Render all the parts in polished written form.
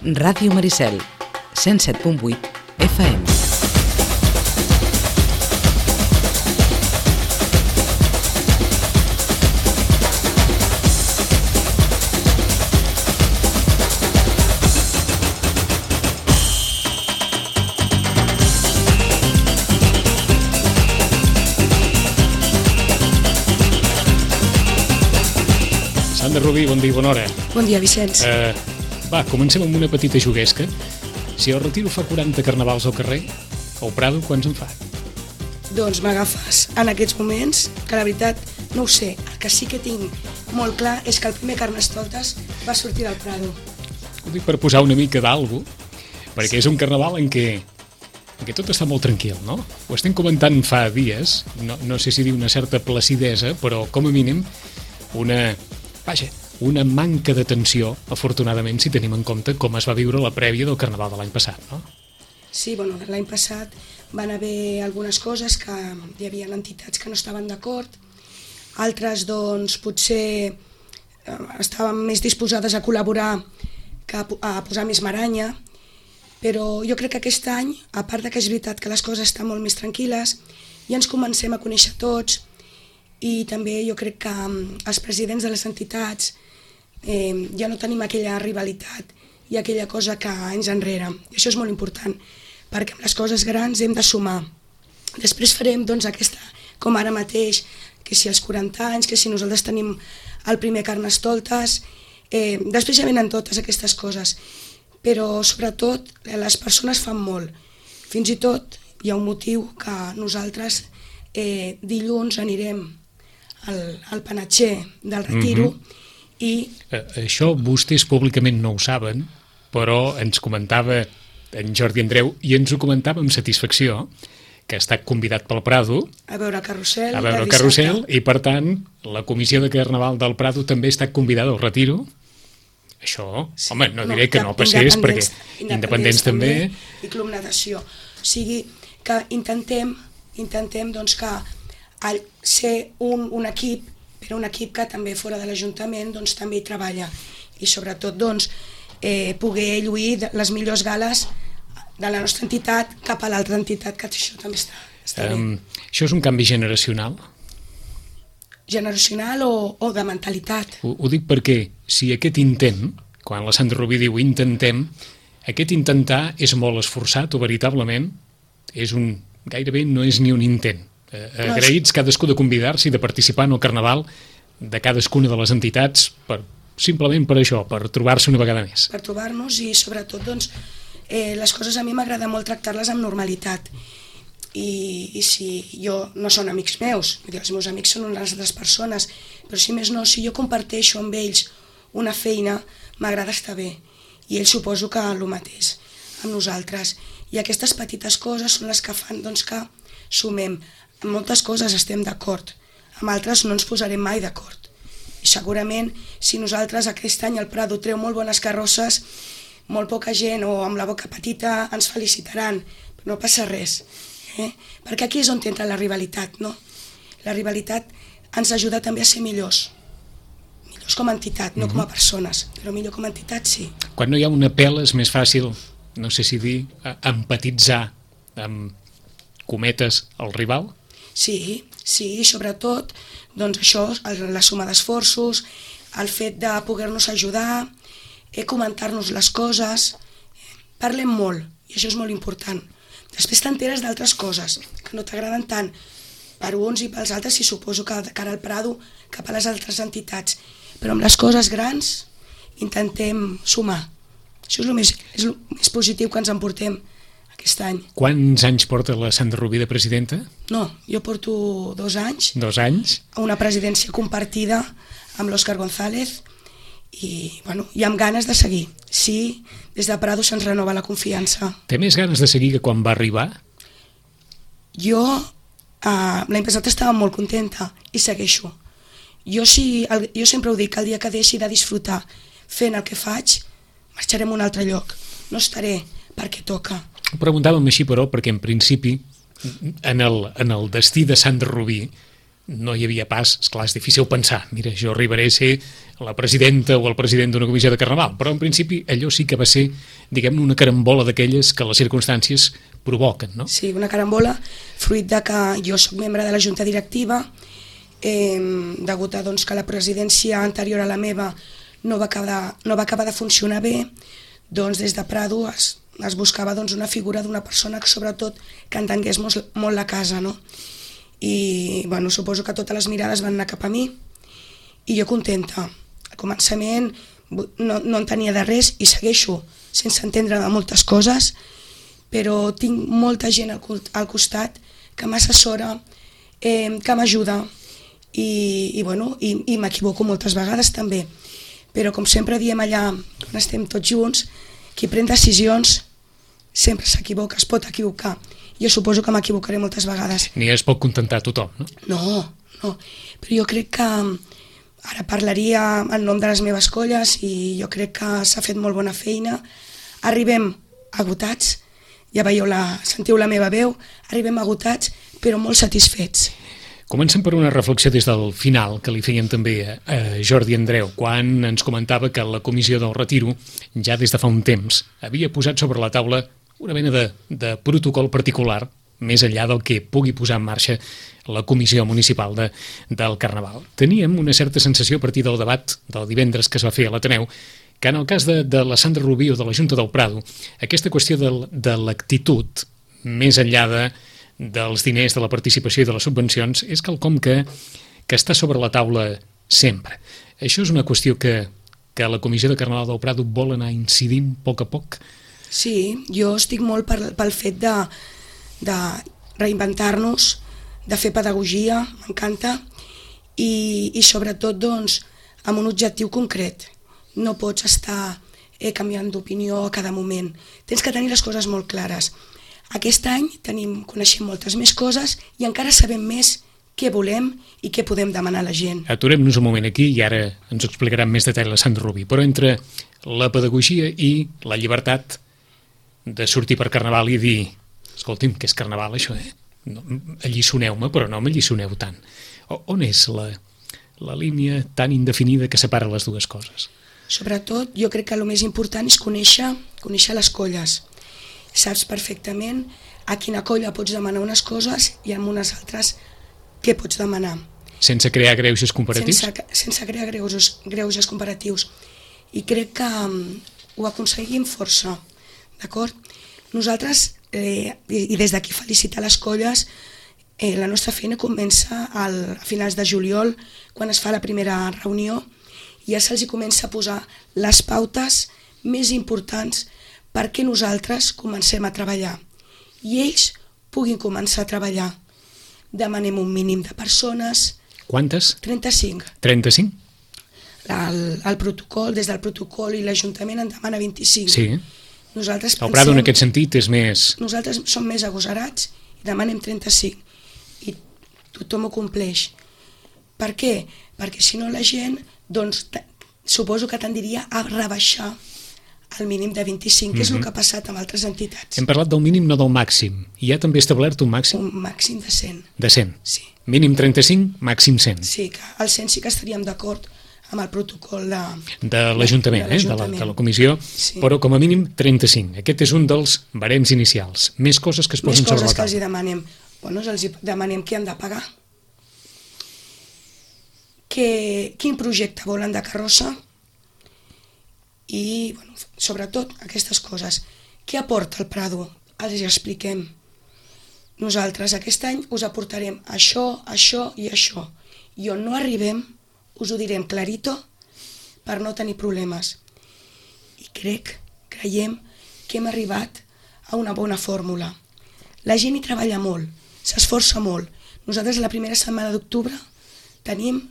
Ràdio Maricel, 107.8 FM. Sandra Rubí, bon dia i bona hora. Bon dia, Vicenç. Comencem amb una petita juguesca. Si el Retiro fa 40 carnavals al carrer, el Prado quants en fa? Doncs m'agafes en aquests moments, que la veritat no ho sé. El que sí que tinc molt clar és que el primer Carnestoltes va sortir del Prado. Ho dic per posar una mica d'algú, perquè és un carnaval en què tot està molt tranquil, no? Ho estem comentant fa dies, no sé si dir una certa placidesa, però com a mínim una manca de tensió, afortunadament, si tenim en compte com es va viure la prèvia del Carnaval de l'any passat, no? Sí, l'any passat van haver algunes coses que hi havia entitats que no estaven d'acord, altres, doncs, potser estaven més disposades a col·laborar que a posar més maranya, però jo crec que aquest any, a part que és veritat que les coses estan molt més tranquil·les, ja ens comencem a conèixer tots, i també jo crec que els presidents de les entitats ja no tenim aquella rivalitat i aquella cosa que anys enrere. I això és molt important, perquè amb les coses grans hem de sumar. Després farem doncs aquesta, com ara mateix, que si els 40 anys, que si nosaltres tenim el primer Carnestoltes, després ja venen totes aquestes coses, però sobretot les persones fan molt. Fins i tot hi ha un motiu que nosaltres dilluns anirem al panatger del Retiro i... Això vostès públicament no ho saben, però ens comentava en Jordi Andreu i ens ho comentava amb satisfacció, que ha estat convidat pel Prado a veure Carrusel, i per tant la comissió de Carnaval del Prado també ha estat convidada al Retiro. Això, sí, home, no diré que no passés, perquè independents també... I Club Natació. O sigui que intentem doncs que al ser un equip, però un equip que també fora de l'Ajuntament doncs, també hi treballa i sobretot doncs, poder lluir les millors gales de la nostra entitat cap a l'altra entitat, que això també està bé. Això és un canvi generacional? Generacional o de mentalitat? Ho dic perquè si aquest intent, quan la Sandra Rubí diu intentem, aquest intentar és molt esforçat o veritablement gairebé no és ni un intent. Agraïts cadascú de convidar-se i de participar en el Carnaval de cadascuna de les entitats simplement per això, per trobar-se una vegada més. Per trobar-nos i sobretot doncs, les coses a mi m'agrada molt tractar-les amb normalitat i si jo no són amics meus, els meus amics són unes altres persones, però si més no, si jo comparteixo amb ells una feina, m'agrada estar bé i ells suposo que el mateix amb nosaltres i aquestes petites coses són les que fan doncs, que sumem. En moltes coses estem d'acord, amb altres no ens posarem mai d'acord. I segurament, si nosaltres aquest any el Prado treu molt bones carrosses, molt poca gent o amb la boca petita ens felicitaran, però no passa res. Perquè aquí és on entra la rivalitat, no? La rivalitat ens ajuda també a ser millors com a entitat, no com a persones, però millor com a entitat sí. Quan no hi ha una pela és més fàcil, no sé si dir, empatitzar amb cometes el rival? Sí, sobretot doncs això, la suma d'esforços, el fet de poder-nos ajudar, comentar-nos les coses, parlem molt i això és molt important. Després t'enteres d'altres coses que no t'agraden tant per uns i pels altres i suposo que de cara al Prado cap a les altres entitats, però amb les coses grans intentem sumar. Això és el més positiu que ens emportem aquest any. Quants anys porta la Sandra Rubí de presidenta? No, jo porto 2 anys. 2 anys? A una presidència compartida amb l'Òscar González i amb ganes de seguir. Sí, des de Prado se'ns renova la confiança. Té més ganes de seguir que quan va arribar? Jo l'any passat estava molt contenta i segueixo. Jo sempre ho dic, el dia que deixi de disfrutar fent el que faig, marxarem a un altre lloc. No estaré perquè toca. Ho preguntàvem així, però, perquè en principi, en el destí de Sandra Rubí, no hi havia pas, esclar, és difícil pensar, mira, jo arribaré a ser la presidenta o el president d'una comissió de Carnaval, però en principi allò sí que va ser, diguem-ne, una carambola d'aquelles que les circumstàncies provoquen, no? Sí, una carambola, fruit de que jo sóc membre de la junta directiva, degut a doncs, que la presidència anterior a la meva no va acabar de funcionar bé, doncs des de Prado es buscava doncs, una figura d'una persona que sobretot que entengués molt la casa, no? I bueno, suposo que totes les mirades van anar cap a mi i jo contenta. Al començament no entenia de res i segueixo sense entendre de moltes coses, però tinc molta gent al costat que m'assessora, que m'ajuda i m'equivoco moltes vegades també. Però com sempre diem allà, quan estem tots junts, qui pren decisions sempre s'equivoca, es pot equivocar. Jo suposo que m'equivocaré moltes vegades. Ni es pot contentar tothom, no? No, però jo crec que ara parlaria en nom de les meves colles i jo crec que s'ha fet molt bona feina. Arribem agotats, ja veieu, sentiu la meva veu, arribem agotats però molt satisfets. Comencem per una reflexió des del final que li fèiem també a Jordi Andreu, quan ens comentava que la comissió del retiro, ja des de fa un temps, havia posat sobre la taula una mena de protocol particular, més enllà del que pugui posar en marxa la comissió municipal del Carnaval. Teníem una certa sensació a partir del debat del divendres que es va fer a l'Ateneu, que en el cas de la Sandra Rubí o de la Junta del Prado, aquesta qüestió de l'actitud, més enllà dels diners, de la participació i de les subvencions, és quelcom que està sobre la taula sempre. Això és una qüestió que la Comissió de Carnaval del Prado vol anar incidint a poc? Sí, jo estic molt pel fet de reinventar-nos, de fer pedagogia, m'encanta, i sobretot doncs, amb un objectiu concret. No pots estar canviant d'opinió a cada moment. Tens que tenir les coses molt clares. Aquest any coneixem moltes més coses i encara sabem més què volem i què podem demanar a la gent. Aturem-nos un moment aquí i ara ens ho explicarà amb més detall la Sandra Rubí, però entre la pedagogia i la llibertat de sortir per Carnaval i dir escolti'm, que és Carnaval això, no, alliçoneu-me, però no m'alliçoneu tant. On és la línia tan indefinida que separa les dues coses? Sobretot, jo crec que el més important és conèixer les colles. Saps perfectament a quina colla pots demanar unes coses i en unes altres què pots demanar. Sense crear greuges comparatius? Sense crear greuges comparatius. I crec que ho aconseguim força, d'acord? Nosaltres, i des d'aquí felicitar les colles, la nostra feina comença a finals de juliol, quan es fa la primera reunió, i ja se'ls comença a posar les pautes més importants perquè nosaltres comencem a treballar i ells puguin començar a treballar. Demanem un mínim de persones. Quantes? 35. 35? El protocol, des del protocol i l'Ajuntament en demana 25. Sí. Nosaltres el Prado en aquest sentit és més... Nosaltres som més agosarats i demanem 35 i tothom ho compleix. Per què? Perquè si no la gent, doncs, suposo que tendiria a rebaixar el mínim de 25, que és el que ha passat amb altres entitats. Hem parlat del mínim, no del màxim. Hi ha també establert un màxim? Un màxim de 100. De 100? Sí. Mínim 35, màxim 100. Sí, que al 100 sí que estaríem d'acord amb el protocol de l'Ajuntament, de la comissió, sí. Però com a mínim 35. Aquest és un dels barems inicials. Més coses que es posen sobre la taula. Més coses que els demanem. Bueno, els demanem què han de pagar. Quin projecte volen de carrossa i, bueno, sobretot aquestes coses. Què aporta el Prado? Els expliquem. Nosaltres aquest any us aportarem això, això i això. I on no arribem, us ho direm clarito per no tenir problemes. I creiem que hem arribat a una bona fórmula. La gent hi treballa molt, s'esforça molt. Nosaltres la primera setmana d'octubre tenim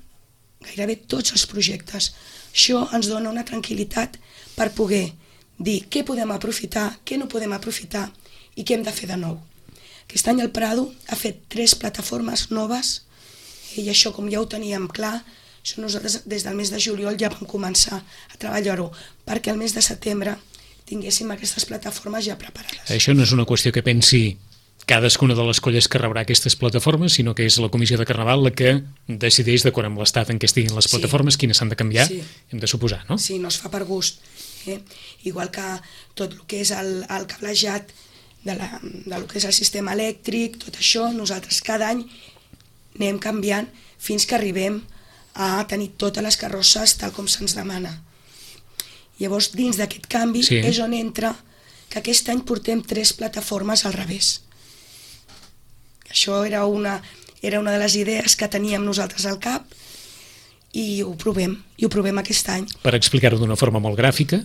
gairebé tots els projectes. Això ens dona una tranquil·litat per poder dir què podem aprofitar, què no podem aprofitar i què hem de fer de nou. Aquest any el Prado ha fet 3 plataformes noves i això, com ja ho teníem clar, això nosaltres des del mes de juliol ja vam començar a treballar-ho perquè el mes de setembre tinguéssim aquestes plataformes ja preparades. Això no és una qüestió que pensi cadascuna de les colles que rebrà aquestes plataformes, sinó que és la Comissió de Carnaval la que decideix, d'acord amb l'estat en què estiguin les plataformes, quines s'han de canviar, hem de suposar, no? Sí, no es fa per gust. Igual que tot el que és el cablejat del que és el sistema elèctric, tot això, nosaltres cada any anem canviant fins que arribem a tenir totes les carrosses tal com se'ns demana. Llavors, dins d'aquest canvi és on entra que aquest any portem 3 plataformes al revés. Això era una de les idees que teníem nosaltres al cap i ho provem aquest any. Per explicar-ho d'una forma molt gràfica,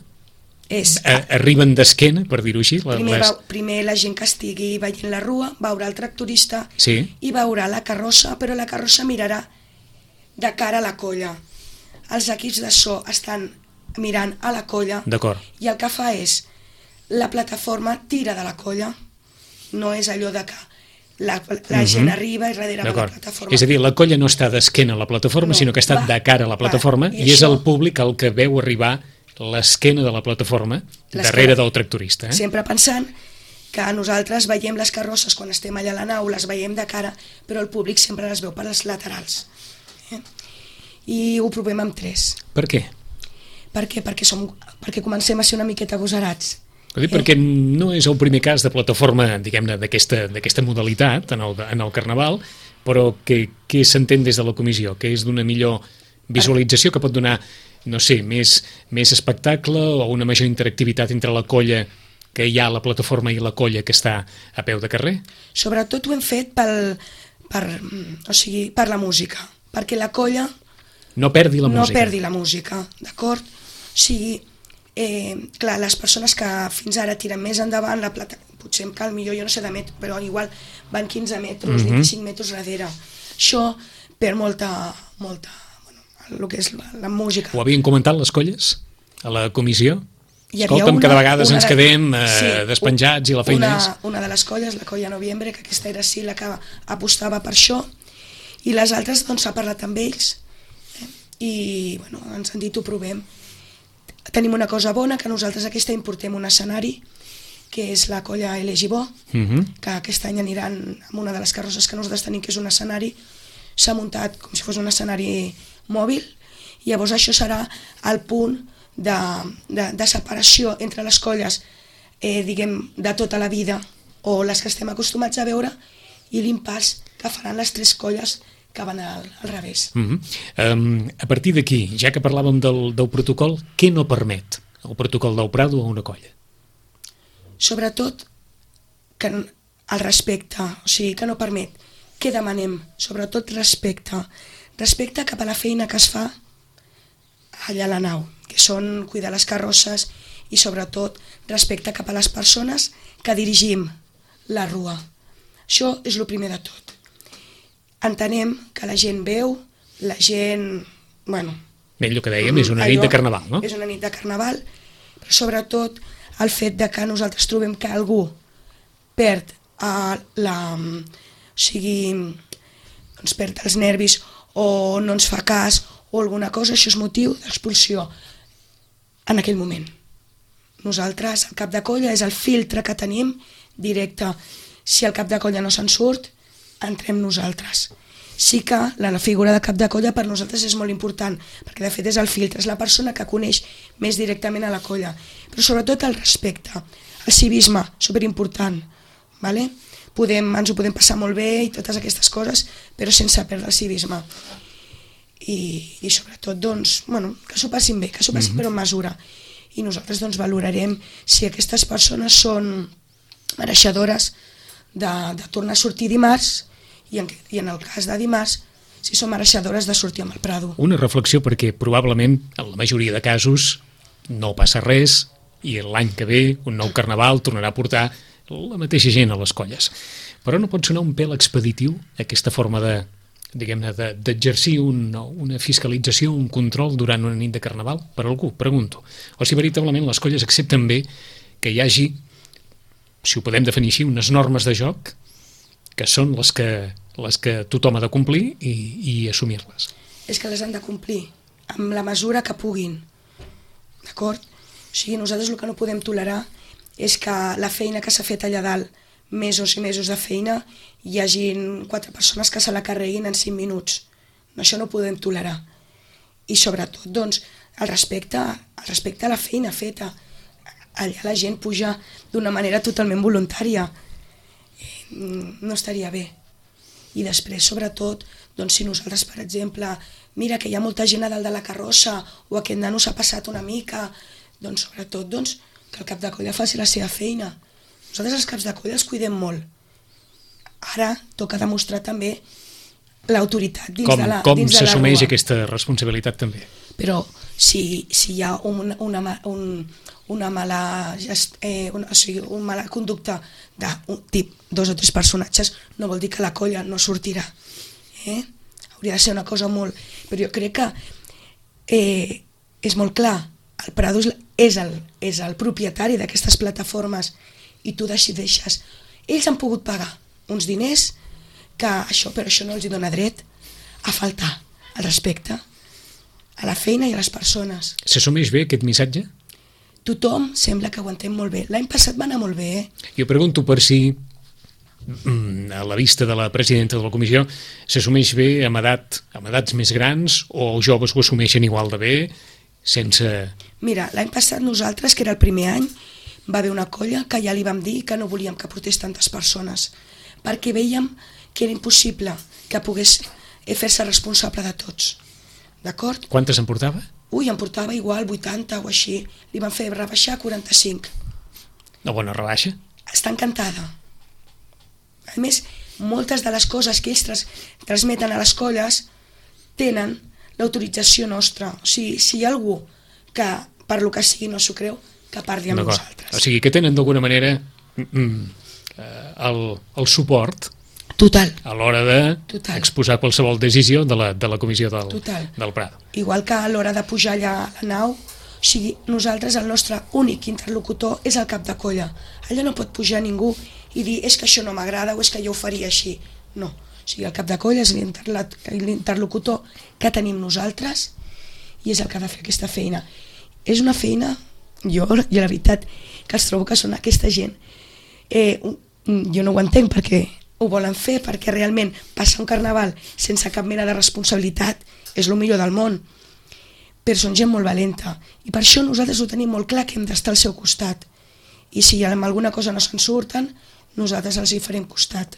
arriben d'esquena, per dir-ho així? Primer la gent que estigui veient la rua veurà el tractorista i veurà la carrossa, però la carrossa mirarà de cara a la colla. Els equips de so estan mirant a la colla i el que fa és la plataforma tira de la colla, no és allò de que la gent arriba i darrere va la plataforma. És a dir, la colla no està d'esquena a la plataforma, sinó que està de cara a la plataforma i és el públic el que veu arribar l'esquena de la plataforma darrere del tractorista. Sempre pensant que nosaltres veiem les carrosses quan estem allà a la nau, les veiem de cara, però el públic sempre les veu per les laterals. I ho provem amb 3. Per què? Per què? Perquè comencem a ser una miqueta agosarats. Perquè no és el primer cas de plataforma, diguem-ne, d'aquesta modalitat en el Carnaval, però què s'entén des de la comissió? Que és d'una millor visualització, que pot donar, no sé, més espectacle o una major interactivitat entre la colla que hi ha a la plataforma i la colla que està a peu de carrer? Sobretot ho hem fet per la música, perquè la colla no perdi la música. No perdi la música, d'acord? O sigui, clar, les persones que fins ara tiren més endavant, la plata, potser cal millor, jo no sé de metre, però igual van 15 metres, 25 metres darrere. Això perd molta, el que és la música. Ho havien comentat les colles a la comissió? Escolta'm, que de vegades ens quedem despenjats i la feina és... Una de les colles, la colla Noviembre, que aquesta era sí la que apostava per això, i les altres doncs s'ha parlat amb ells i bueno, ens han dit ho provem. Tenim una cosa bona, que nosaltres aquest any portem un escenari, que és la colla Elegibó, que aquest any aniran amb una de les carrosses que nosaltres tenim, que és un escenari, s'ha muntat com si fos un escenari mòbil, i llavors això serà el punt de separació entre les colles, diguem, de tota la vida, o les que estem acostumats a veure, i l'impàs que faran les 3 colles que van al revés. A partir d'aquí, ja que parlàvem del protocol, què no permet el protocol del Prado a una colla? Sobretot que el respecte, o sigui, que no permet. Què demanem? Sobretot respecte. Respecte cap a la feina que es fa allà a la nau, que són cuidar les carrosses i sobretot respecte cap a les persones que dirigim la rua. Això és el primer de tot. Entenem que la gent veu, la gent... Bueno... El que dèiem és una nit de Carnaval, no? És una nit de Carnaval, però sobretot el fet de que nosaltres trobem que algú perd perd els nervis o no ens fa cas o alguna cosa, això és motiu d'expulsió en aquell moment. Nosaltres, el cap de colla, és el filtre que tenim directe. Si el cap de colla no se'n surt, entrem nosaltres. Sí que la figura de cap de colla per nosaltres és molt important, perquè de fet és el filtre, és la persona que coneix més directament a la colla, però sobretot el respecte, el civisme, superimportant, ¿vale? Ens ho podem passar molt bé i totes aquestes coses, però sense perdre el civisme. I sobretot, doncs, bueno, que s'ho passin bé, que s'ho passin però amb mesura. I nosaltres doncs valorarem si aquestes persones són mereixedores de tornar a sortir dimarts i en el cas de dimarts si són mereixedores de sortir amb el Prado. Una reflexió, perquè probablement en la majoria de casos no passa res i l'any que ve un nou Carnaval tornarà a portar la mateixa gent a les colles. Però no pot sonar un pèl expeditiu aquesta forma d'exercir una fiscalització, un control durant una nit de Carnaval per algú, pregunto. O si veritablement les colles accepten bé que hi hagi, si ho podem definir així, unes normes de joc que són les que tothom ha de complir i assumir-les. És que les han de complir amb la mesura que puguin, d'acord? O sigui, nosaltres el que no podem tolerar és que la feina que s'ha fet allà dalt mesos i mesos de feina hi hagin 4 persones que se la carreguin en 5 minuts. Això no ho podem tolerar. I sobretot, doncs, el respecte a la feina feta. Allà la gent puja d'una manera totalment voluntària. No estaria bé. I després, sobretot, doncs, si nosaltres, per exemple, mira que hi ha molta gent a dalt de la carrossa o aquest nano s'ha passat una mica, doncs, sobretot, doncs, que el cap de colla faci la seva feina. Nosaltres els caps de colla els cuidem molt. Ara toca demostrar també l'autoritat dins de la rua. Com s'assumeix aquesta responsabilitat també? Però si hi ha una mala conducta d'un tip, 2 o 3 personatges, no vol dir que la colla no sortirà. Hauria de ser una cosa molt... Però jo crec que és molt clar, el Prado és el propietari d'aquestes plataformes i tu decideixes. Ells han pogut pagar uns diners però això no els dona dret a faltar al respecte a la feina i a les persones. S'assumeix bé aquest missatge? Tothom sembla que ho entén molt bé. L'any passat va anar molt bé, Jo pregunto per si, a la vista de la presidenta de la comissió, s'assumeix bé amb edats més grans o els joves ho assumeixen igual de bé, sense... Mira, l'any passat nosaltres, que era el primer any, va haver una colla que ja li vam dir que no volíem que portés tantes persones, perquè veiem que era impossible que pogués fer-se responsable de tots. D'acord? Quantes en portava? En portava igual 80 o així. Li van fer rebaixar 45. Una bona rebaixa? Està encantada. A més, moltes de les coses que ells transmeten a les colles tenen l'autorització nostra. O sigui, si hi ha algú que per lo que sigui no s'ho creu, que parli amb nosaltres. O sigui, que tenen d'alguna manera el suport total a l'hora d'exposar qualsevol decisió de la comissió del Prado. Igual que a l'hora de pujar allà a la nau, o sigui, nosaltres el nostre únic interlocutor és el cap de colla. Allà no pot pujar ningú i dir és que això no m'agrada o és que jo ho faria així. No, o sigui, el cap de colla és l'interlocutor que tenim nosaltres i és el que ha de fer aquesta feina. És una feina, jo la veritat que els trobo que són aquesta gent, jo no ho entenc perquè ho volen fer, perquè realment passar un carnaval sense cap mena de responsabilitat és el millor del món, però són gent molt valenta i per això nosaltres ho tenim molt clar que hem d'estar al seu costat i si amb alguna cosa no se'n surten nosaltres els hi farem costat.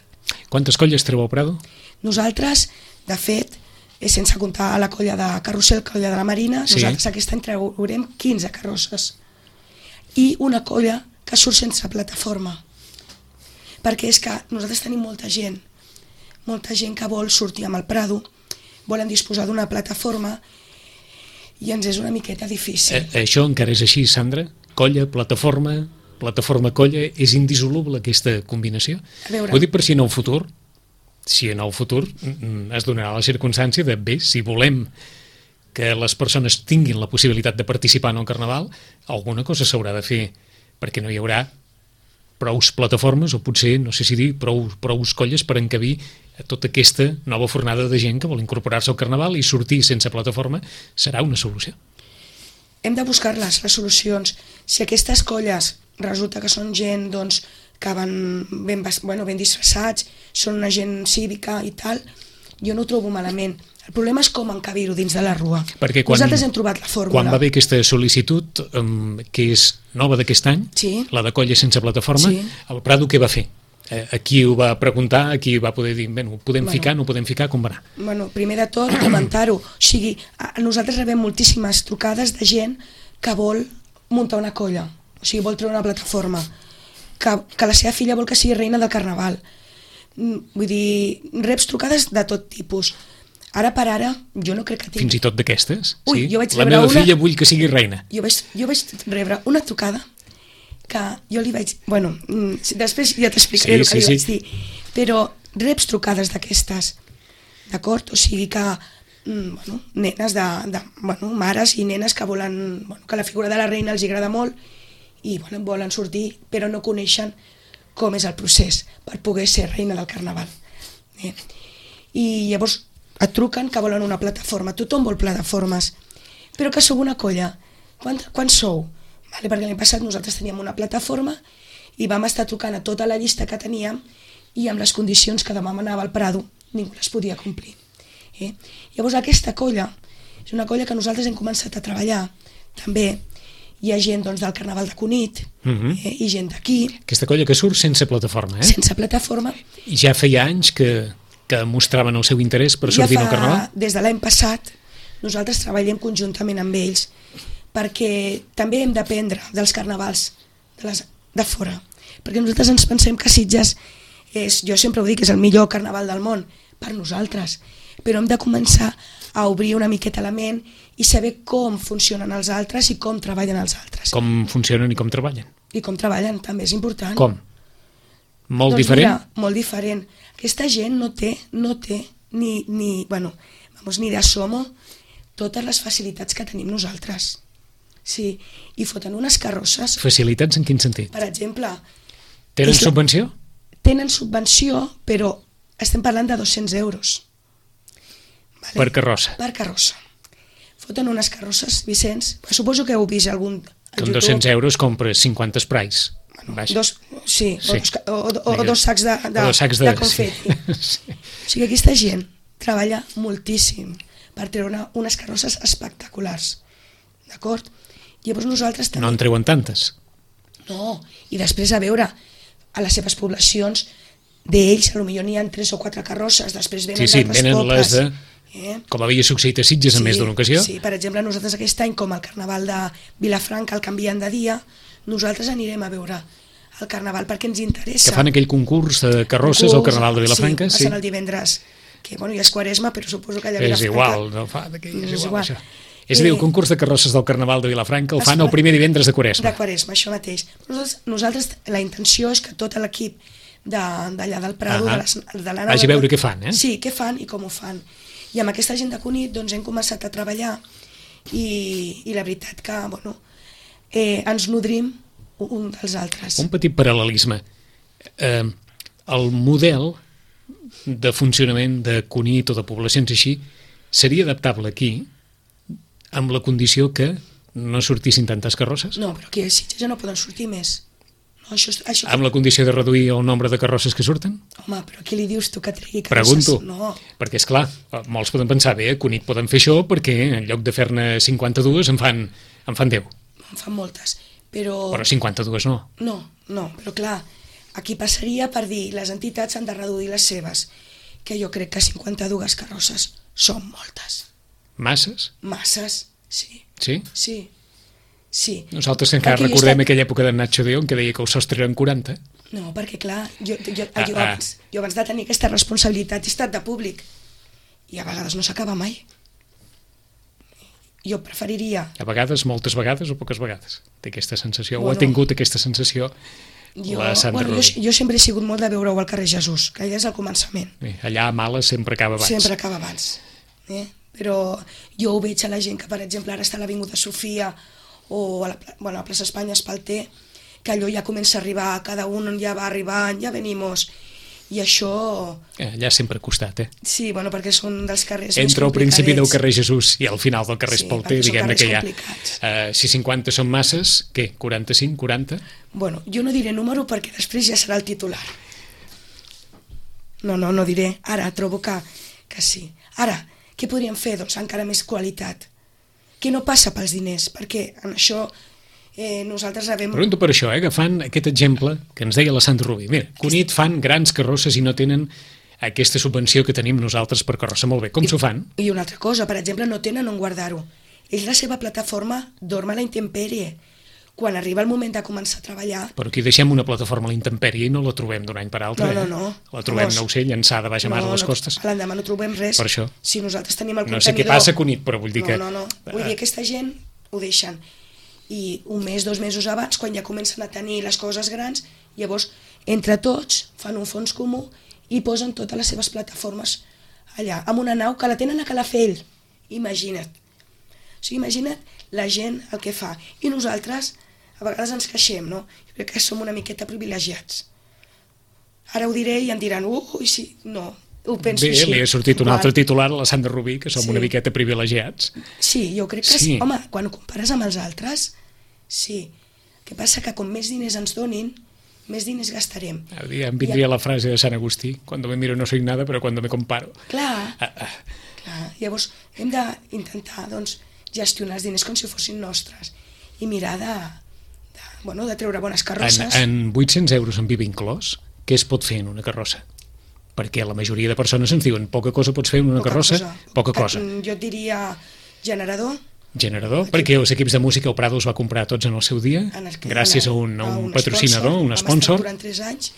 Quantes colles treu al Prado? Nosaltres, de fet, sense comptar la colla de Carrusel, colla de la Marina, nosaltres aquest any traurem 15 carrosses i una colla que surt sense plataforma, perquè és que nosaltres tenim molta gent que vol sortir amb el Prado, volen disposar d'una plataforma i ens és una miqueta difícil. Això encara és així, Sandra? Colla, plataforma, colla, és indissoluble aquesta combinació? Ho dic per si en el futur es donarà la circumstància de, bé, si volem que les persones tinguin la possibilitat de participar en el Carnaval, alguna cosa s'haurà de fer, perquè no hi haurà prous plataformes o potser, no sé si dir, prous colles per encabir tota aquesta nova fornada de gent que vol incorporar-se al Carnaval i sortir sense plataforma serà una solució. Hem de buscar les solucions. Si aquestes colles resulta que són gent doncs, que van ben disfressats, són una gent cívica i tal, jo no ho trobo malament. El problema és com encabir-ho dins de la rua. Nosaltres hem trobat la fórmula. Quan va haver aquesta sol·licitud, que és nova d'aquest any, la de colla sense plataforma, el Prado què va fer? A qui ho va preguntar, a qui va poder dir, ho podem ficar, no ho podem ficar, com va anar? Primer de tot, comentar-ho. O sigui, nosaltres rebem moltíssimes trucades de gent que vol muntar una colla, o sigui, vol treure una plataforma, que la seva filla vol que sigui reina del Carnaval. Vull dir, reps trucades de tot tipus. Ara per ara, jo no crec que tingui... Fins i tot d'aquestes? Sí? La meva filla vull que sigui reina. Jo vaig rebre una trucada que jo li vaig... després ja t'explicaré el que li vaig dir. Però reps trucades d'aquestes, d'acord? O sigui que, nenes mares i nenes que volen... que la figura de la reina els agrada molt i volen sortir, però no coneixen com és el procés per poder ser reina del Carnaval. I llavors et truquen que volen una plataforma, tothom vol plataformes, però que sou una colla. Quants sou? Perquè l'any passat nosaltres teníem una plataforma i vam estar trucant a tota la llista que teníem i amb les condicions que demanava el Prado ningú les podia complir. Llavors aquesta colla és una colla que nosaltres hem començat a treballar també. Hi ha gent del Carnaval de Cunit i gent d'aquí. Aquesta colla que surt sense plataforma, Sense plataforma. I ja feia anys que mostraven el seu interès per sortir al Carnaval? Des de l'any passat nosaltres treballem conjuntament amb ells perquè també hem d'aprendre dels carnavals de fora. Perquè nosaltres ens pensem que Sitges és, jo sempre ho dic, és el millor carnaval del món per nosaltres, però hem de començar a obrir una miqueta la ment i saber com funcionen els altres i com treballen els altres. Com funcionen i com treballen? I com treballen, també és important. Com? Molt diferent? Mira, molt diferent. Aquesta gent no té ni de somo totes les facilitats que tenim nosaltres. Sí, i foten unes carrosses. Facilitats en quin sentit? Per exemple... Tenen subvenció? Tenen subvenció, però estem parlant de 200 euros. Vale? Per carrossa? Per carrossa. Foten unes carrosses, Vicenç, suposo que heu vist algun... Amb 200 euros compres 50 sprays. Sí, sí. O dos sacs de confeti. Sí. O sigui, aquesta gent treballa moltíssim per treure unes carrosses espectaculars. D'acord? Llavors nosaltres també... No en treuen tantes? No, i després a veure, a les seves poblacions, d'ells potser n'hi ha 3 o 4 carrosses, després venen d'altres venen pobles. Les de... Com havia succeït a Sitges en més d'una ocasió? Sí, per exemple, nosaltres aquest any, com el Carnaval de Vilafranca el canvien de dia, nosaltres anirem a veure el Carnaval perquè ens interessa. Que fan aquell concurs de carrosses al Carnaval de Vilafranca? Sí, passen el divendres, que ja és Quaresma, però suposo que allà a Vilafranca... És igual, no fa d'aquí, és igual això. És a dir, el concurs de carrosses del Carnaval de Vilafranca el fan el primer divendres de Quaresma. De Quaresma, això mateix. Nosaltres la intenció és que tot l'equip d'allà del Prado, de l'Anna... Vagi a veure què fan, Sí, què fan i com ho fan. I amb aquesta gent de Cunit hem començat a treballar i la veritat que ens nodrim un dels altres. Un petit paral·lelisme. El model de funcionament de Cunit o de poblacions així seria adaptable aquí amb la condició que no sortissin tantes carrosses? No, però aquí a Sitges ja no poden sortir més. No, això... Amb la condició de reduir el nombre de carrosses que surten? Home, però què li dius tu que tregui carrosses? Pregunto, no. Perquè és clar, molts poden pensar, bé, a Cunit poden fer això perquè en lloc de fer-ne 52 en fan 10. En fan moltes, però... Però 52 no. No, però clar, aquí passaria per dir les entitats han de reduir les seves, que jo crec que 52 carrosses són moltes. Masses? Masses, sí. Sí? Sí. Nosaltres encara recordem aquella època de Nacho de León que deia que el sostre eren 40. No, perquè clar, jo abans de tenir aquesta responsabilitat he estat de públic i a vegades no s'acaba mai. Jo preferiria... A vegades, moltes vegades o poques vegades? Té aquesta sensació, o ha tingut aquesta sensació la Sandra Rubí? Jo sempre he sigut molt de veure-ho al carrer Jesús, que allà és el començament. Allà a Mala sempre acaba abans. Sempre acaba abans. Però jo ho veig a la gent que, per exemple, ara està a l'Avinguda Sofia o a la plaça Espanya Espalter, que allò ja comença a arribar, cada un ja va arribant, ja venimos, i això... Allà sempre ha costat, Sí, perquè són dels carrers més complicadets. Entre el principi del carrer Jesús i el final del carrer Espalter, diguem-ne que hi ha... Si 50 són masses, què? 45, 40? Bueno, jo no diré número perquè després ja serà el titular. No diré. Ara trobo que sí. Ara, què podríem fer? Doncs encara més qualitat. Que no passa pels diners, perquè en això nosaltres sabem... Pregunto per això, agafant aquest exemple que ens deia la Sandra Rubí. Mira, Cunit fan grans carrosses i no tenen aquesta subvenció que tenim nosaltres per carrossa. Molt bé, com s'ho fan? I una altra cosa, per exemple, no tenen on guardar-ho. Ells, la seva plataforma, dorm a la intempèrie. Quan arriba el moment de començar a treballar... Però aquí deixem una plataforma a la intempèrie i no la trobem d'un any per altre. No. La trobem, no ho sé, llançada baix a mar a les costes. L'endemà no trobem res. Per això. Si nosaltres tenim el contenidor... No sé què passa a Cunit, però vull dir que... No. Vull dir que aquesta gent ho deixen. I un mes, 2 mesos abans, quan ja comencen a tenir les coses grans, llavors, entre tots, fan un fons comú i posen totes les seves plataformes allà, amb una nau que la tenen a Calafell. Imagina't. O sigui, imagina't la gent el que fa. I nosaltres... A vegades ens queixem, no? Jo crec que som una miqueta privilegiats. Ara ho diré i em diran, sí, no, ho penso així. Bé, li ha sortit un altre titular a la Sandra Rubí, que som una miqueta privilegiats. Sí, jo crec que sí. Home, quan ho compares amb els altres, sí. El que passa que com més diners ens donin, més diners gastarem. Em vindria la frase de Sant Agustí, cuando me miro no soy nada, però cuando me comparo. Clar. Llavors hem d'intentar gestionar els diners com si fossin nostres i mirar de treure bones carrosses. En 800 euros amb IVA inclòs, què es pot fer en una carrossa? Perquè la majoria de persones ens diuen poca cosa pots fer en una carrossa, poca cosa. Jo et diria generador, perquè els equips de música el Prado els va comprar tots en el seu dia, gràcies a un patrocinador, un sponsor. Durant 3 anys,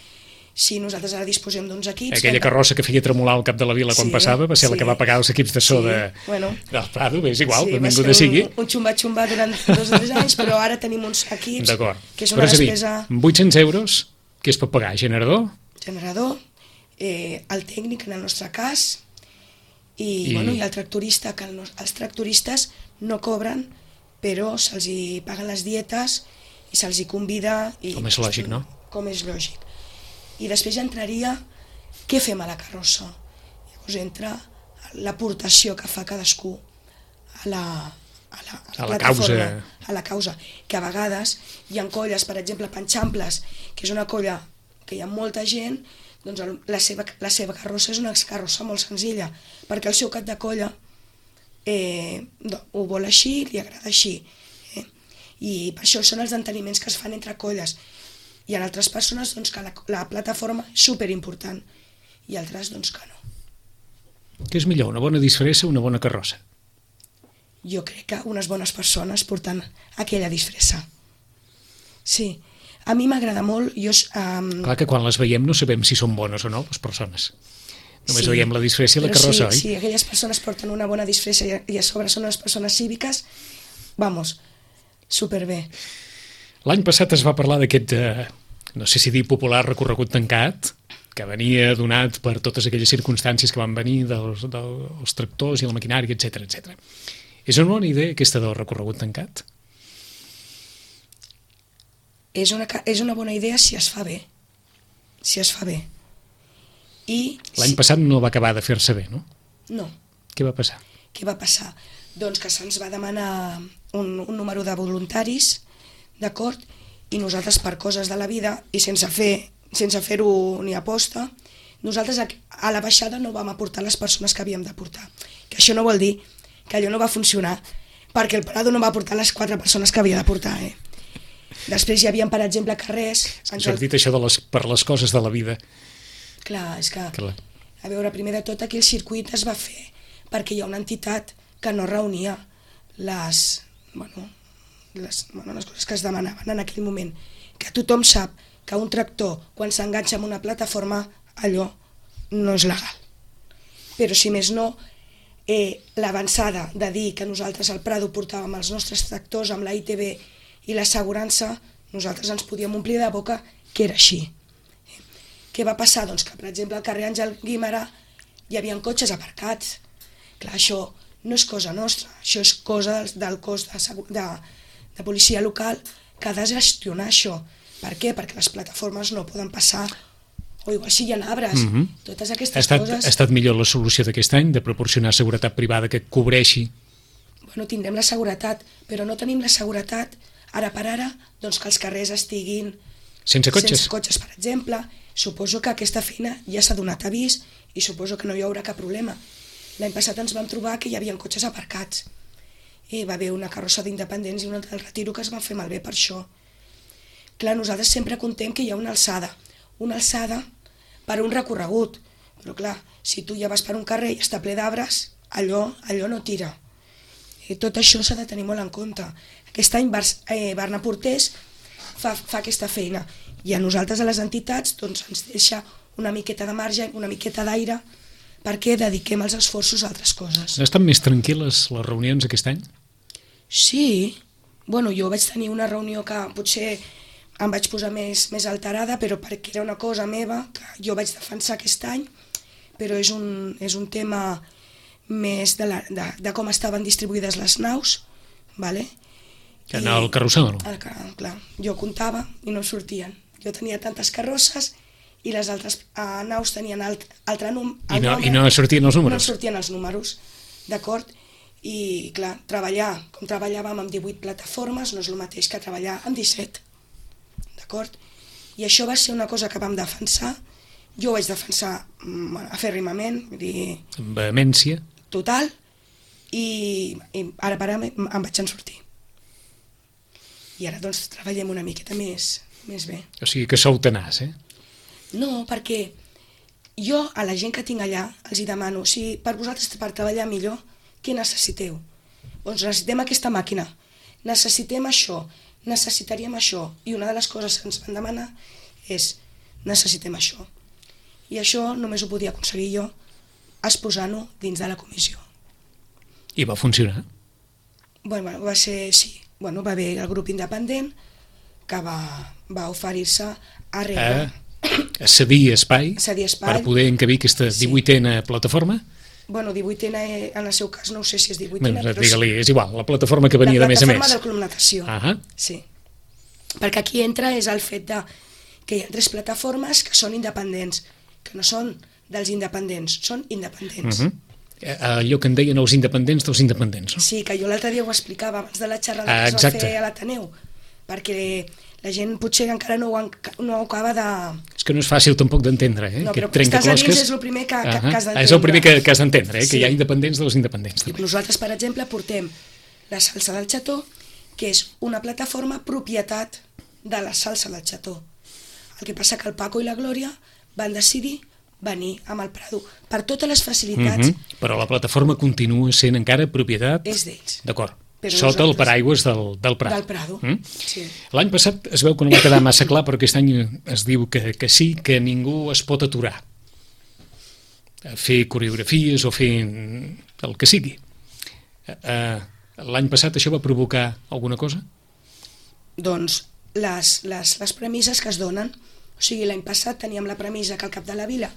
sí, nosaltres ara disposem d'uns equips. Aquella carrossa que feia tremolar el cap de la vila quan passava va ser la que va pagar els equips de so del Prado, és igual, benvinguda sigui. Un xumba durant 2 o 3 anys, però ara tenim uns equips que és una despesa... Amb 800 euros, què es pot pagar? Generador, el tècnic en el nostre cas, i el tractorista, que els tractoristes no cobren, però se'ls hi paguen les dietes i se'ls hi convida. Com és lògic, no? Com és lògic. I després ja entraria què fem a la carrossa. Llavors entra l'aportació que fa cadascú a la plataforma, a la causa, que a vegades hi ha colles, per exemple, Panxamples, que és una colla que hi ha molta gent, doncs la seva carrossa és una carrossa molt senzilla, perquè el seu cap de colla ho vol així, li agrada així. I per això són els enteniments que es fan entre colles. Hi ha altres persones que la plataforma és superimportant i altres que no. Què és millor, una bona disfressa o una bona carrossa? Jo crec que unes bones persones portant aquella disfressa. Sí. A mi m'agrada molt... Clar que quan les veiem no sabem si són bones o no, les persones. Només veiem la disfressa i la carrossa, oi? Sí, aquelles persones porten una bona disfressa i a sobre són unes persones cíviques, superbé. L'any passat es va parlar d'aquest, no sé si dir popular, recorregut tancat, que venia donat per totes aquelles circumstàncies que van venir dels tractors i la maquinària, etc. És una bona idea aquesta del recorregut tancat? És una bona idea si es fa bé. L'any passat no va acabar de fer-se bé, no? No. Què va passar? Doncs que se'ns va demanar un número de voluntaris, d'acord, i nosaltres per coses de la vida i sense fer-ho ni aposta, nosaltres a la baixada no vam aportar les persones que havíem d'aportar. Que això no vol dir que allò no va funcionar, perquè el Prado no va aportar les 4 persones que havia d'aportar, Després hi havia, per exemple, carrers... Has dit això per les coses de la vida. Clar, és que... A veure, primer de tot, aquí el circuit es va fer perquè hi ha una entitat que no reunia les coses que es demanaven en aquell moment. Que tothom sap que un tractor, quan s'enganxa en una plataforma, allò no és legal. Però, si més no, l'avançada de dir que nosaltres al Prado portàvem els nostres tractors amb la ITV i l'assegurança, nosaltres ens podíem omplir de boca que era així. Què va passar? Doncs que, per exemple, al carrer Àngel Guimerà hi havia cotxes aparcats. Clar, això no és cosa nostra, això és cosa del cos de policia local que ha de gestionar això. Per què? Perquè les plataformes no poden passar, o igual si hi ha arbres, totes aquestes coses... Ha estat millor la solució d'aquest any, de proporcionar seguretat privada que cobreixi? Bueno, tindrem la seguretat, però no tenim la seguretat ara per ara, doncs que els carrers estiguin sense cotxes, per exemple. Suposo que aquesta feina ja s'ha donat avís i suposo que no hi haurà cap problema. L'any passat ens vam trobar que hi havia cotxes aparcats. I va haver una carrossa d'independents i una del Retiro que es va fer malbé per això. Clar, nosaltres sempre contem que hi ha una alçada per un recorregut, però clar, si tu ja vas per un carrer i està ple d'arbres, allò no tira. I tot això s'ha de tenir molt en compte. Aquest any Barna Portés fa aquesta feina i a nosaltres, a les entitats, doncs ens deixa una miqueta de marge, una miqueta d'aire, perquè dediquem els esforços a altres coses. Han estat més tranquil·les les reunions aquest any? Sí. Bueno, jo vaig tenir una reunió que potser em vaig posar més alterada, però perquè era una cosa meva que jo vaig defensar aquest any, però és un tema més de com estaven distribuïdes les naus, ¿vale? Que anava al carrossel, no? Clar, jo comptava i no sortien. Jo tenia tantes carrosses i les altres naus tenien altre nom. I no sortien els números? No sortien els números, d'acord? I clar, com treballàvem amb 18 plataformes no és el mateix que treballar amb 17, d'acord? I això va ser una cosa que vam defensar. Jo ho vaig defensar afèrrimament, vull dir... Amb vehemència. Total, i ara per ara em vaig en sortir. I ara doncs treballem una miqueta més bé. O sigui que sou tenaç, No, perquè jo a la gent que tinc allà els hi demano, si per vosaltres per treballar millor, què necessiteu? Doncs necessitem aquesta màquina, necessitem això, necessitaríem això, i una de les coses que ens van demanar és necessitem això. I això només ho podia aconseguir jo exposant-ho dins de la comissió. I va funcionar? Bueno, va ser, sí. Bueno, va haver el grup independent que va oferir-se a rebre... A cedir espai per poder encabir aquesta 18a plataforma? Bueno, 18a, en el seu cas, no sé si és 18a, bueno, però... Digue-li, és igual, la plataforma que venia de més a més. La plataforma del Club Natació, sí. Perquè aquí entra és el fet que hi ha 3 plataformes que són independents, que no són dels independents, són independents. Allò que en deien els independents dels independents, no? Sí, que jo l'altre dia ho explicava abans de la xerrada que es va fer a l'Ateneu, perquè la gent potser encara no ho acaba de... És que no és fàcil tampoc d'entendre, No, però estàs a dins és el primer que has d'entendre. És el primer que has d'entendre, que hi ha independents dels independents. Nosaltres, per exemple, portem la salsa del Xató, que és una plataforma propietat de la salsa del Xató. El que passa que el Paco i la Glòria van decidir venir amb el Prado per totes les facilitats. Però la plataforma continua sent encara propietat... És d'ells. D'acord. Sota el paraigües del Prado. Del Prado, sí. L'any passat es veu que no va quedar massa clar, però aquest any es diu que sí, que ningú es pot aturar a fer coreografies o fer el que sigui. L'any passat això va provocar alguna cosa? Doncs les premisses que es donen, o sigui, l'any passat teníem la premissa que al cap de la vila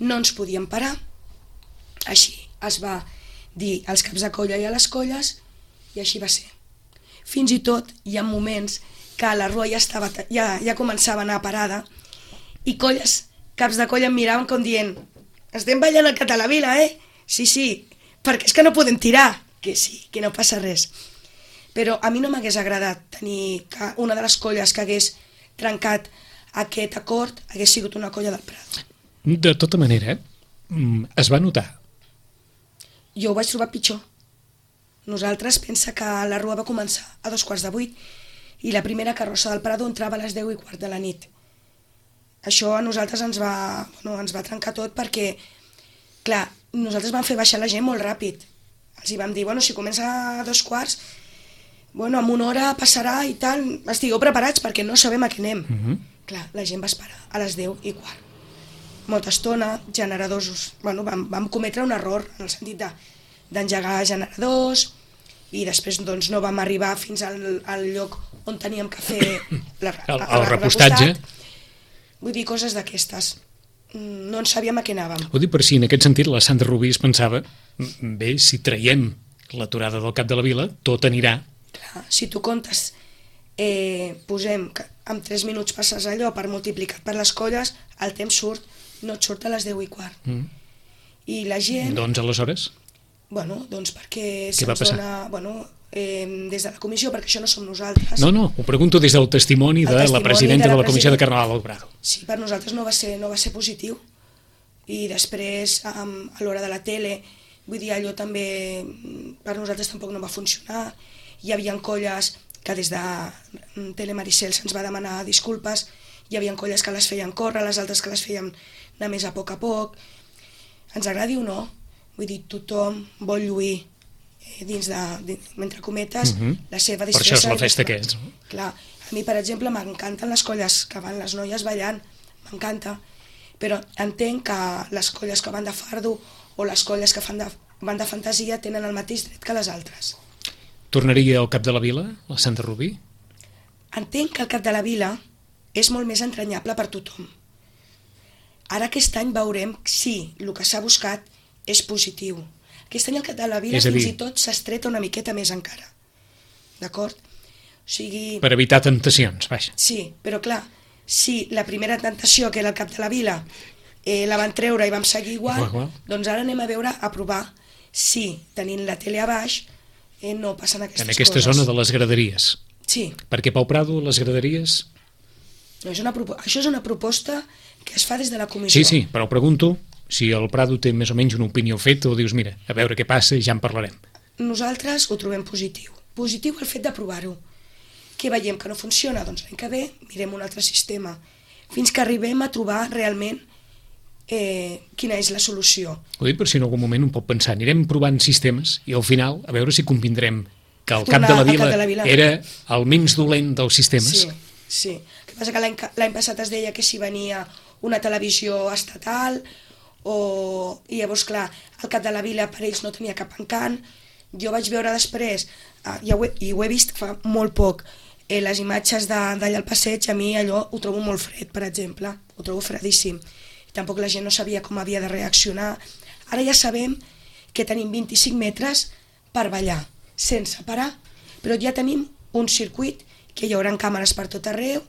no ens podíem parar, així es va dir als caps de colla i a les colles, i així va ser. Fins i tot hi ha moments que la rua ja començava a anar parada i caps de colla em miraven com dient estem ballant al cap de la vila, Sí, perquè és que no podem tirar. Que sí, que no passa res. Però a mi no m'hagués agradat tenir que una de les colles que hagués trencat aquest acord hagués sigut una colla del Prat. De tota manera, es va notar. Jo ho vaig trobar pitjor. Nosaltres pensa que la rua va començar a 7:45 i la primera carrossa del Prado entrava a les 10:15 de la nit. Això a nosaltres ens va trencar tot perquè, clar, nosaltres vam fer baixar la gent molt ràpid. Els vam dir, si comença a 2:15, en una hora passarà i tal, estigueu preparats perquè no sabem a què anem. Clar, la gent va esperar a les 10:15. Molta estona, generadors, vam cometre un error en el sentit d'engegar generadors i després no vam arribar fins al lloc on teníem que fer el repostatge. Vull dir, coses d'aquestes. No en sabíem a què anàvem. Ho dic per si en aquest sentit la Sandra Rubí es pensava, bé, si traiem l'aturada del cap de la vila, tot anirà. Clar, si tu comptes, posem que en 3 minuts passes allò per multiplicat per les colles, el temps no et surt a les 10:15. I la gent... Doncs aleshores? Doncs perquè se'ns dona... des de la comissió, perquè això no som nosaltres. No, ho pregunto des del testimoni de la presidenta de la Comissió de Carnaval del Prado. Sí, per nosaltres no va ser positiu. I després, a l'hora de la tele, vull dir, allò també per nosaltres tampoc no va funcionar. Hi havia colles que des de Tele Maricel se'ns va demanar disculpes, hi havia colles que les feien córrer, les altres que les feien anar més a poc. Ens agradi o no, vull dir, tothom vol lluir dins entre cometes, la seva disfressa. Per això és la festa que és. Clar, a mi, per exemple, m'encanten les colles que van les noies ballant, m'encanta, però entenc que les colles que van de fardo o les colles que van de fantasia tenen el mateix dret que les altres. Tornaria al cap de la vila, la Sandra Rubí? Entenc que el cap de la vila és molt més entranyable per tothom. Ara aquest any veurem si el que s'ha buscat és positiu. Aquest any el cap de la vila fins i tot s'ha estret una miqueta més encara. D'acord? O sigui... Per evitar tentacions, vaja. Sí, però clar, si la primera tentació, que era el cap de la vila, la van treure i vam seguir igual, doncs ara anem a veure, a provar si, tenint la tele a baix, no passen aquestes coses. En aquesta zona de les graderies. Sí. Perquè Pau Prado, les graderies... No, això és una proposta que es fa des de la comissió. Sí, però pregunto si el Prado té més o menys una opinió feta o dius, mira, a veure què passa i ja en parlarem. Nosaltres ho trobem positiu. Positiu el fet de provar-ho. Què veiem que no funciona? Doncs l'any que ve mirem un altre sistema, fins que arribem a trobar realment quina és la solució. Ho dic per si en algun moment un pot pensar, anirem provant sistemes i al final a veure si convindrem que el Cap de la Vila era el menys dolent dels sistemes. Sí. El que passa que l'any passat es deia que si venia una televisió estatal i llavors, clar, el Cap de la Vila per ells no tenia cap encant. Jo vaig veure després, i ho he vist fa molt poc, les imatges d'allà al passeig, a mi allò ho trobo molt fred, per exemple, ho trobo fredíssim. Tampoc la gent no sabia com havia de reaccionar. Ara ja sabem que tenim 25 metres per ballar, sense parar, però ja tenim un circuit que hi haurà càmeres per tot arreu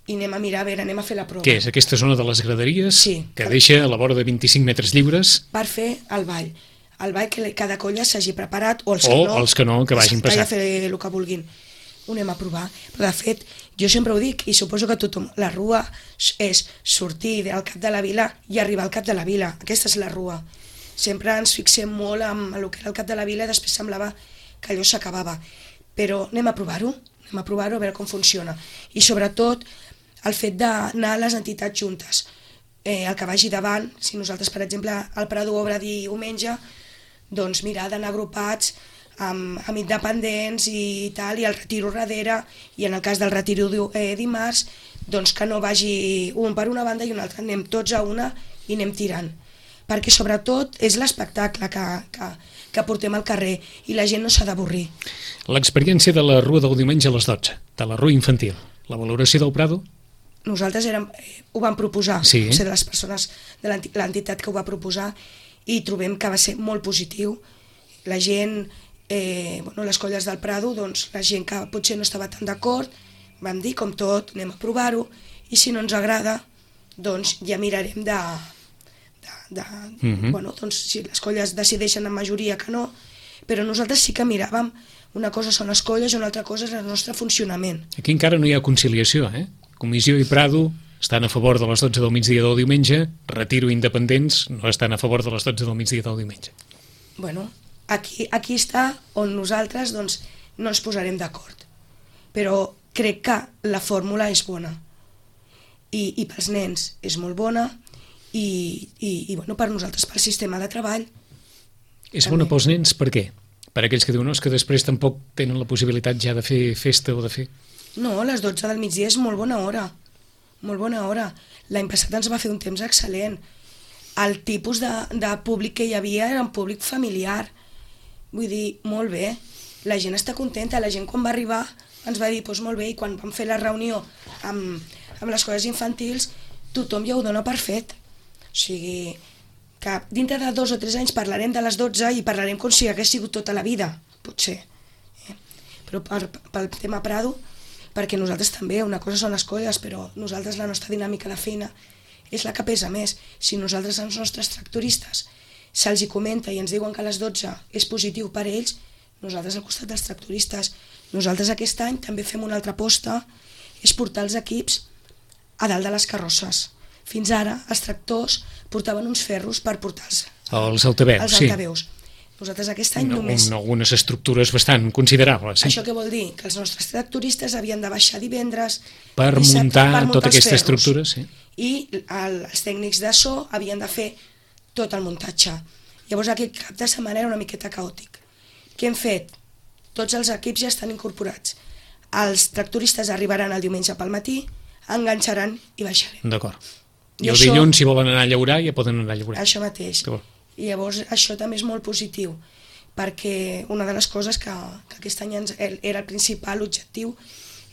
i anem a mirar, a veure, anem a fer la prova. Què és aquesta zona de les graderies? Sí. Que deixa a la vora de 25 metres lliures? Per fer el ball. El ball que cada colla s'hagi preparat, o els que no, que vagin passant. Que fer el que vulguin. Ho anem a provar. Però de fet, jo sempre ho dic, i suposo que tothom, la rua és sortir del Cap de la Vila i arribar al Cap de la Vila. Aquesta és la rua. Sempre ens fixem molt en el que era el Cap de la Vila i després semblava que allò s'acabava. Però anem a provar-ho, a veure com funciona. I sobretot el fet d'anar a les entitats juntes. El que vagi davant, si nosaltres, per exemple, el Prado obre diumenge, doncs mirar d'anar agrupats amb independents i tal, i el retiro darrere, i en el cas del retiro dimarts, doncs que no vagi un per una banda i una altra, anem tots a una i anem tirant. Perquè sobretot és l'espectacle que portem al carrer i la gent no s'ha d'avorrir. L'experiència de la Rua del diumenge a les 12, de la Rua Infantil, la valoració del Prado? Nosaltres ho vam proposar, sí. Ser de les persones de l'entitat que ho va proposar, i trobem que va ser molt positiu. La gent, les colles del Prado, doncs la gent que potser no estava tan d'acord, vam dir, com tot, anem a provar-ho, i si no ens agrada, doncs ja mirarem doncs si les colles decideixen en majoria que no, però nosaltres sí que miràvem, una cosa són les colles i una altra cosa és el nostre funcionament. Aquí encara no hi ha conciliació, Comissió i Prado estan a favor de les 12 del migdia del diumenge, Retiro Independents no estan a favor de les 12 del migdia del diumenge. Bueno, aquí està on nosaltres doncs, no ens posarem d'acord. Però crec que la fórmula és bona. I pels nens és molt bona i per nosaltres, pel sistema de treball. És bona pels nens per què? Per aquells que diuen que després tampoc tenen la possibilitat ja de fer festa o de fer... No, les 12 del migdia és molt bona hora. Molt bona hora. L'any passat ens va fer un temps excel·lent. El tipus de públic que hi havia era un públic familiar. Vull dir, molt bé. La gent està contenta. La gent quan va arribar ens va dir, doncs molt bé, i quan vam fer la reunió amb les colles infantils, tothom ja ho dona per fet. O sigui, que dintre de 2 o 3 anys parlarem de les 12 i parlarem com si hagués sigut tota la vida, potser. Però pel tema Prado, perquè nosaltres també, una cosa són les colles, però nosaltres la nostra dinàmica de feina és la que pesa més. Si nosaltres als nostres tractoristes se'ls hi comenta i ens diuen que a les 12 és positiu per ells, nosaltres al costat dels tractoristes. Nosaltres aquest any també fem una altra aposta, és portar els equips a dalt de les carrosses. Fins ara els tractors portaven uns ferros per portar-los. Els altaveus, sí. Nosaltres aquest any només... Algunes estructures bastant considerables. Sí? Això què vol dir? Que els nostres tractoristes havien de baixar divendres... Per muntar tota aquesta estructura, sí. I els tècnics de so havien de fer tot el muntatge. Llavors aquest cap de setmana era una miqueta caòtic. Què hem fet? Tots els equips ja estan incorporats. Els tractoristes arribaran el diumenge pel matí, enganxaran i baixarem. D'acord. I el dilluns, si volen anar a llaurar, ja poden anar a llaurar. Això mateix. I llavors això també és molt positiu, perquè una de les coses que aquest any era el principal objectiu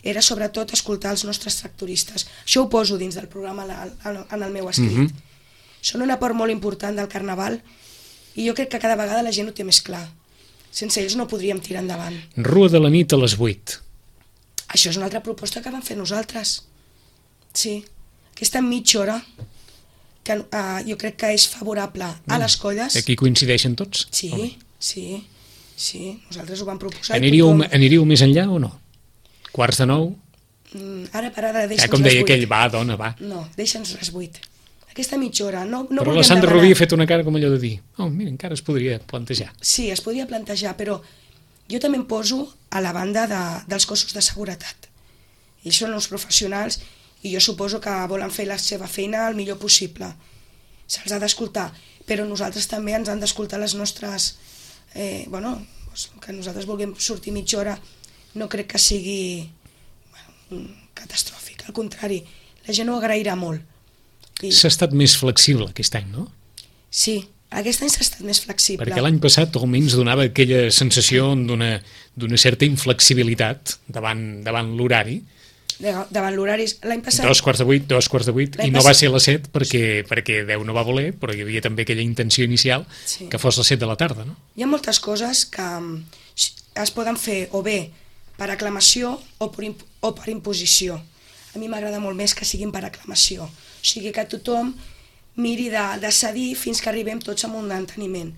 era sobretot escoltar els nostres tractoristes. Això ho poso dins del programa en el meu escrit. Són una part molt important del Carnaval i jo crec que cada vegada la gent ho té més clar. Sense ells no podríem tirar endavant. Rua de la nit a les 8. Això és una altra proposta que vam fer nosaltres. Sí, aquesta mitja hora que jo crec que és favorable a les colles. Aquí coincideixen tots? Sí, nosaltres ho vam proposar. Aniríeu més enllà o no? 8:45? Ara per ara, deixa'ns Com deia les 8. aquell, va, dona, va. No, deixa'ns les 8. Aquesta mitja hora, no Però volíem la Sandra demanar. Rubí ha fet una cara com allò de dir, mira, encara es podria plantejar. Sí, es podia plantejar, però jo també em poso a la banda dels cossos de seguretat. Ells són uns professionals i jo suposo que volen fer la seva feina el millor possible. Se'ls ha d'escoltar, però nosaltres també ens han d'escoltar les nostres... que nosaltres vulguem sortir mitja hora no crec que sigui catastròfic, al contrari, la gent ho agrairà molt. S'ha estat més flexible aquest any, no? Sí, aquest any s'ha estat més flexible. Perquè l'any passat almenys donava aquella sensació d'una certa inflexibilitat davant l'horari. Davant l'horari, l'any passat... 7:15, i no va ser a les 7 perquè Déu no va voler, però hi havia també aquella intenció inicial que fos les 7 de la tarda, no? Hi ha moltes coses que es poden fer o bé per aclamació o per imposició. A mi m'agrada molt més que siguin per aclamació, o sigui que tothom miri de cedir fins que arribem tots a un enteniment.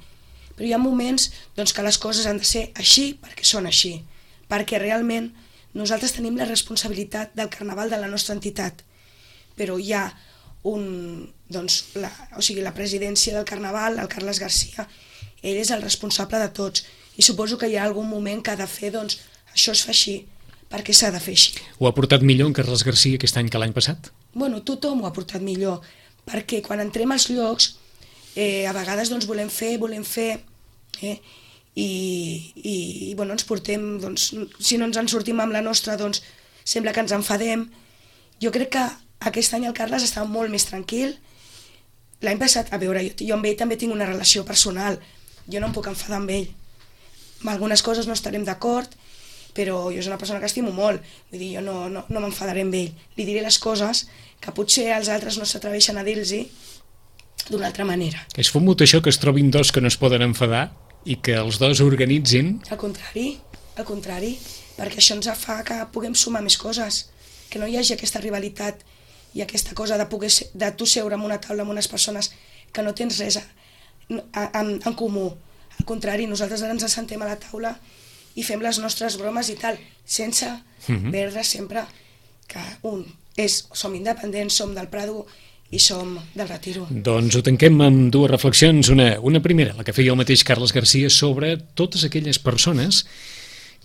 Però hi ha moments doncs, que les coses han de ser així perquè són així, perquè realment nosaltres tenim la responsabilitat del carnaval de la nostra entitat, però hi ha la presidència del carnaval, el Carles Garcia, ell és el responsable de tots, i suposo que hi ha algun moment que ha de fer, doncs, això es fa així, perquè s'ha de fer així. Ho ha portat millor en Carles Garcia aquest any que l'any passat? Bueno, tothom ho ha portat millor, perquè quan entrem als llocs, a vegades doncs, volem fer, i bueno, ens portem, doncs, si no ens en sortim amb la nostra, doncs sembla que ens enfadem. Jo crec que aquest any el Carles està molt més tranquil. L'any passat, a veure, jo amb ell també tinc una relació personal, jo no em puc enfadar amb ell. Amb algunes coses no estarem d'acord, però jo és una persona que estimo molt, vull dir, jo no m'enfadaré amb ell. Li diré les coses que potser els altres no s'atreveixen a dir-los d'una altra manera. És fumut això que es trobin dos que no es poden enfadar i que els dos organitzin? Al contrari, perquè això ens fa que puguem sumar més coses, que no hi hagi aquesta rivalitat i aquesta cosa de tu seure en una taula amb unes persones que no tens res en comú. Al contrari, nosaltres ara ens assentem a la taula i fem les nostres bromes i tal, sense perdre sempre que som independents, som del Prado i som del Retiro. Doncs ho tanquem amb dues reflexions. Una primera, la que feia el mateix Carles Garcia, sobre totes aquelles persones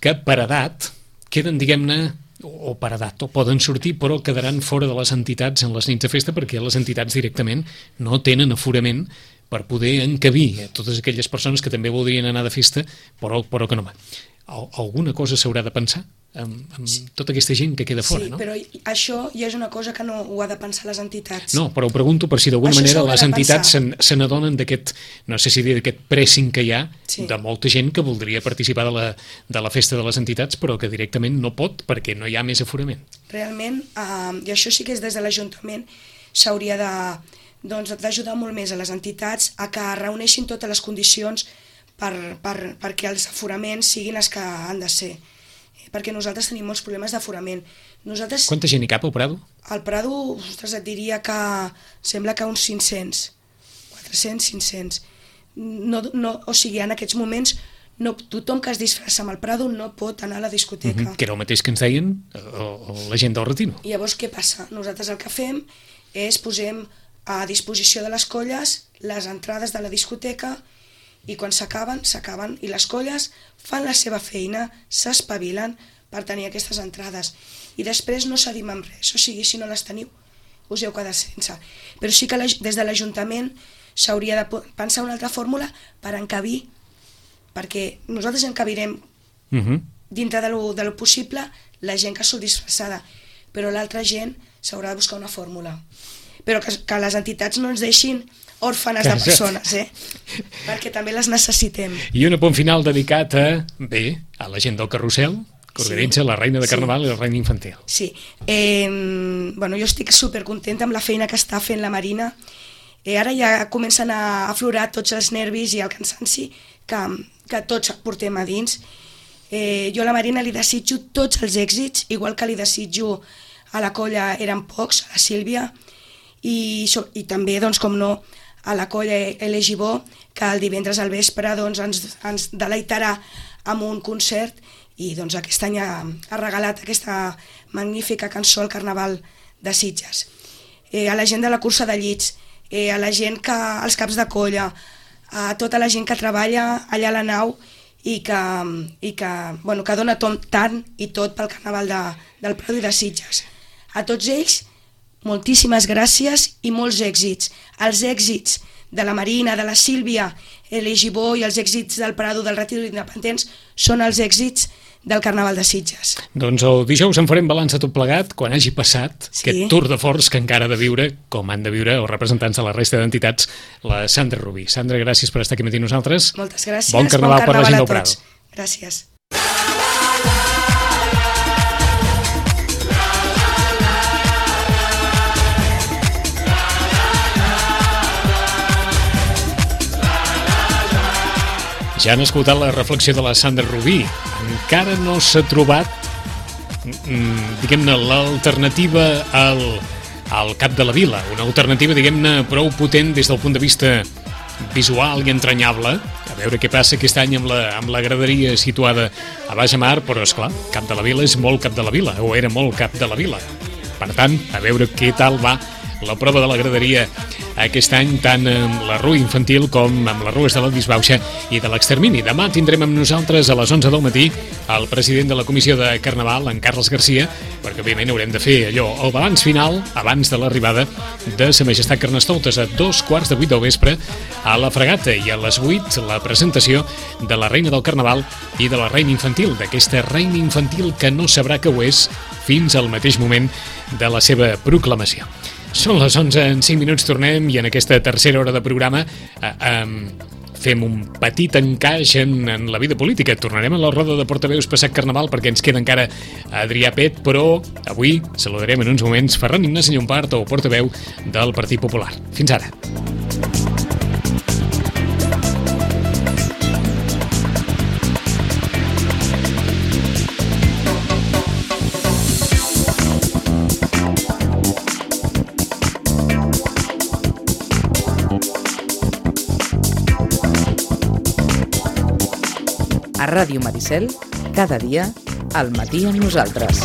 que per edat queden, diguem-ne, o per edat, o poden sortir, però quedaran fora de les entitats en les nits de festa perquè les entitats directament no tenen aforament per poder encabir totes aquelles persones que també voldrien anar de festa però que no van. Alguna cosa s'haurà de pensar amb tota aquesta gent que queda fora, no? Sí, però això ja és una cosa que no ho ha de pensar les entitats. No, però ho pregunto per si d'alguna manera les entitats se n'adonen d'aquest, no sé si dir, d'aquest pressing que hi ha de molta gent que voldria participar de la festa de les entitats però que directament no pot perquè no hi ha més aforament. Realment, i això sí que és des de l'Ajuntament, s'hauria d'ajudar molt més a les entitats a que reuneixin totes les condicions perquè els aforaments siguin els que han de ser. Perquè nosaltres tenim molts problemes d'aforament. Quanta gent hi cap al Prado? Al Prado, ostres, et diria que sembla que uns 500, 400, 500. O sigui, en aquests moments, tothom que es disfressa amb el Prado no pot anar a la discoteca. Que era el mateix que ens deien la gent del Retiro. I llavors què passa? Nosaltres el que fem és posem a disposició de les colles les entrades de la discoteca i quan s'acaben, i les colles fan la seva feina, s'espavilen per tenir aquestes entrades. I després no cedim amb res, o sigui, si no les teniu, us heu quedat sense. Però sí que des de l'Ajuntament s'hauria de pensar una altra fórmula per encabir, perquè nosaltres encabirem dintre de lo possible la gent que surt disfressada, però l'altra gent s'haurà de buscar una fórmula. Però que les entitats no ens deixin òrfanes de persones, perquè també les necessitem. I un apunt final dedicat a la gent del carrusel, que organitza la Reina de Carnaval i la Reina Infantil. Sí, jo estic supercontenta amb la feina que està fent la Marina. Ara ja comencen a aflorar tots els nervis i el cansanci que tots portem a dins. Jo a la Marina li desitjo tots els èxits, igual que li desitjo a la colla Eren Pocs, a la Sílvia, i també, doncs, com no, a la colla Elegibó, que el divendres al vespre ens deleitarà amb un concert i doncs aquest any ha regalat aquesta magnífica cançó al Carnaval de Sitges. A la gent de la cursa de llits, a la gent als caps de colla, a tota la gent que treballa allà a la nau i que dona tant i tot pel Carnaval del Prado i de Sitges. A tots ells, moltíssimes gràcies i molts èxits. Els èxits de la Marina, de la Sílvia, l'Egibó i els èxits del Prado, del Retiro d'Independents són els èxits del Carnaval de Sitges. Doncs el dijous en farem balanç de tot plegat quan hagi passat aquest tour de force que encara ha de viure, com han de viure els representants de la resta d'entitats, la Sandra Rubí. Sandra, gràcies per estar aquí amb nosaltres. Moltes gràcies. Bon Carnaval per la gent del Prado. Gràcies. Ja han escoltat la reflexió de la Sandra Rubí. Encara no s'ha trobat, diguem-ne, l'alternativa al cap de la vila. Una alternativa, diguem-ne, prou potent des del punt de vista visual i entranyable. A veure què passa aquest any amb la graderia situada a Baix Mar, però, esclar, cap de la vila és molt cap de la vila, o era molt cap de la vila. Per tant, a veure què tal va la prova de la graderia aquest any, tant amb la rua infantil com amb les rues de la Disbauxa i de l'Extermini. Demà tindrem amb nosaltres a les 11 del matí el president de la Comissió de Carnaval, en Carles Garcia, perquè òbviament haurem de fer allò, el balanç final abans de l'arribada de Sa Majestat Carnestoltes a 7:45 del vespre a la Fregata, i a les 8 la presentació de la Reina del Carnaval i de la Reina Infantil, d'aquesta Reina Infantil que no sabrà que ho és fins al mateix moment de la seva proclamació. Són les 11 en 5 minuts, tornem, i en aquesta tercera hora de programa fem un petit encaix en la vida política. Tornarem a la roda de portaveus passat Carnaval perquè ens queda encara Adrià Pet, però avui saludarem en uns moments Ferran Ignasi Llompart, el portaveu del Partit Popular. Fins ara. A Ràdio Maricel, cada dia, al matí amb nosaltres.